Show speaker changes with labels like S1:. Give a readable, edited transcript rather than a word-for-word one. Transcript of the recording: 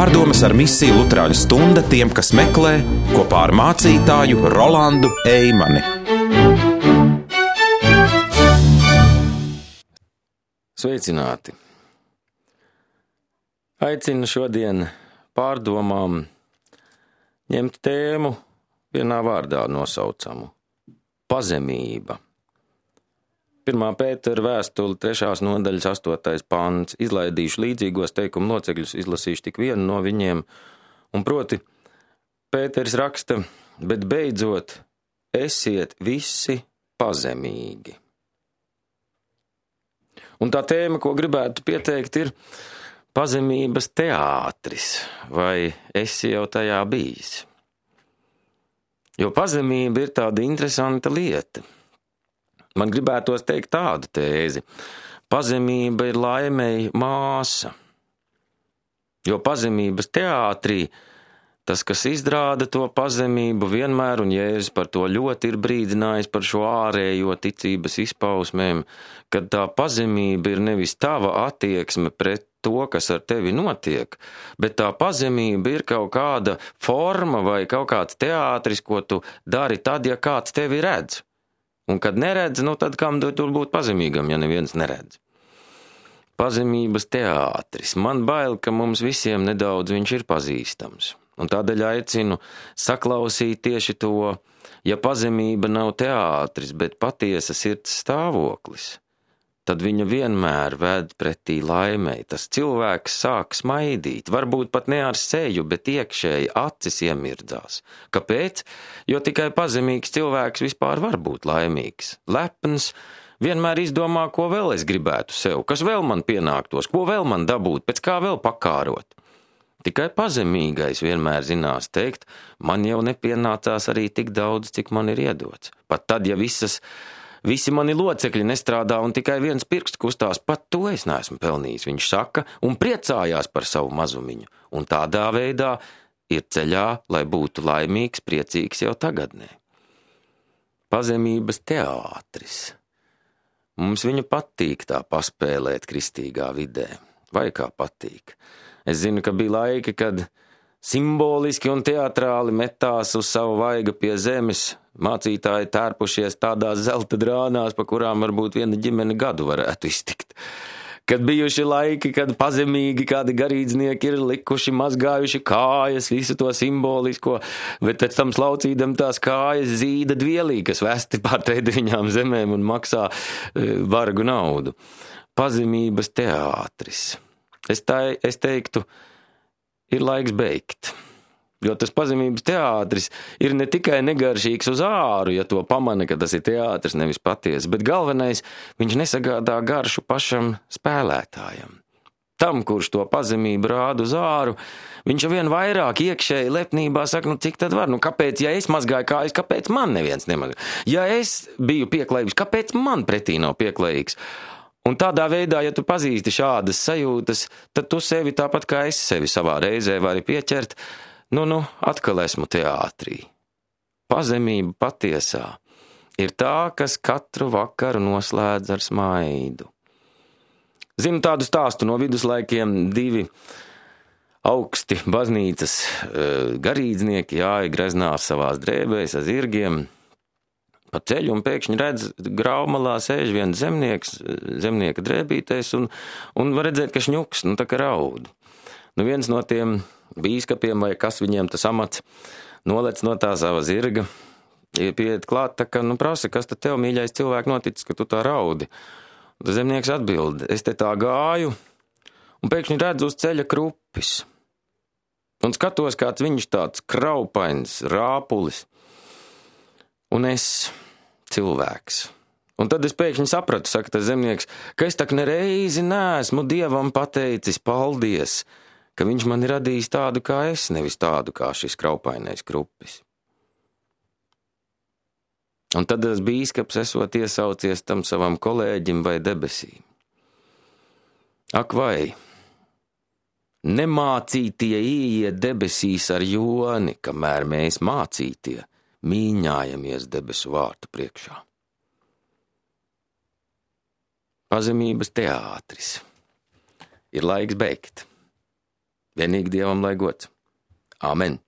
S1: Pārdomas ar misiju Luterāņu stunda tiem, kas meklē, kopā ar mācītāju Rolandu Eimani.
S2: Sveicināti! Aicinu šodien pārdomām ņemt tēmu vienā vārdā nosaucamu – pazemība. 1. Pētera vēstule, 3. nodaļas 8. pants. Izlaidīšu līdzīgos teikumu locekļus, izlasīšu tik vienu no viņiem. Un proti, Pēters raksta, bet beidzot esiet visi pazemīgi. Un tā tēma, ko gribētu pieteikt, ir pazemības teātris, vai esi jau tajā bijis? Jo pazemība ir tāda interesanta lieta. Man gribētos teikt tādu tēzi. Pazemība ir laimei māsa. Jo pazemības teātrī tas, kas izrāda to pazemību vienmēr, un Jēzus par to ļoti ir brīdinājis par šo ārējo ticības izpausmēm, kad tā pazemība ir nevis tava attieksme pret to, kas ar tevi notiek, bet tā pazemība ir kaut kāda forma vai kaut kāds teātris, ko tu dari tad, ja kāds tevi redz. Un kad neredz, tad kam tur būt pazemīgam, ja neviens neredz? Pazemības teātris. Man bail, ka mums visiem nedaudz viņš ir pazīstams. Un tādēļ aicinu saklausīt tieši to, ja pazemība nav teātris, bet patiesa sirds stāvoklis, tad viņa vienmēr ved pretī laimei. Tas cilvēks sāk smaidīt, varbūt pat ne ar seju, bet iekšēji acis iemirdzās. Kāpēc? Jo tikai pazemīgs cilvēks vispār var būt laimīgs. Lepns vienmēr izdomā, ko vēl es gribētu sev, kas vēl man pienāktos, ko vēl man dabūt, pēc kā vēl pakārot. Tikai pazemīgais vienmēr zinās teikt, man jau nepienācās arī tik daudz, cik man ir iedots. Pat tad, ja visi mani locekļi nestrādā un tikai viens pirksts kustās, pat to es neesmu pelnījis, viņš saka, un priecājās par savu mazumiņu. Un tādā veidā ir ceļā, lai būtu laimīgs, priecīgs jau tagadnē. Pazemības teātris. Mums viņu patīk tā paspēlēt kristīgā vidē. Vai kā patīk? Es zinu, ka bija laiki, kad simboliski un teatrāli metās uz savu vaiga pie zemes, mācītāji tērpušies tādās zelta drānās, pa kurām varbūt viena ģimene gadu varētu iztikt. Kad bijuši laiki, kad pazemīgi kādi garīdznieki ir likuši, mazgājuši kājas, visu to simbolisko, bet pēc tam slaucīdam tās kājas zīda dvielī, kas vesti pār trediņām zemēm un maksā vargu naudu. Pazemības teātris. Es teiktu, ir laiks beigt, jo tas pazemības teātris ir ne tikai negaršīgs uz āru, ja to pamana, ka tas ir teātris, nevis patiesi, bet galvenais, viņš nesagādā garšu pašam spēlētājam. Tam, kurš to pazemību rāda uz āru, viņš vien vairāk iekšēji lepnībā saka, cik tad var, kāpēc, ja es mazgāju kājas, kāpēc man neviens nemazgā? Ja es biju pieklājīgs, kāpēc man pretī nav pieklājīgs? Un tādā veidā, ja tu pazīsti šādas sajūtas, tad tu sevi tāpat kā es sevi savā reizē vari pieķert, atkal esmu teātrī. Pazemība patiesā ir tā, kas katru vakaru noslēdz ar smaidu. Zinu tādu stāstu no viduslaikiem, 2 augsti baznīcas garīdznieki jāja greznās savās drēbēs ar zirgiem pa ceļu un pēkšņi redz graumalā sēž viens zemnieks, zemnieka drēbītēs un var redzēt, ka šņuks, tā kā raud. Viens no tiem bīskapiem vai kas viņiem tas amats nolec no tā sava zirga, pieiet klāt, tā kā, prasa, kas tad tev, mīļais cilvēks, noticis, ka tu tā raudi? Tad zemnieks atbild, es te tā gāju un pēkšņi redzu uz ceļa krupis. Un skatos, kāds viņš tāds kraupains, rāpulis. Un es cilvēks. Un tad es pēkšņi sapratu, saka tas zemnieks, ka es tak nereizi neesmu Dievam pateicis paldies, ka viņš man ir radījis tādu kā es, nevis tādu kā šis kraupainais krupis. Un tad tas bīskaps esot iesaucies tam savam kolēģim vai debesīm. Ak vai, nemācītie ieiet debesīs ar joni, kamēr mēs mācītie mīņājamies debesu vārtu priekšā. Pazemības teātris. Ir laiks beigt. Vienīgi Dievam lai gods. Āmen!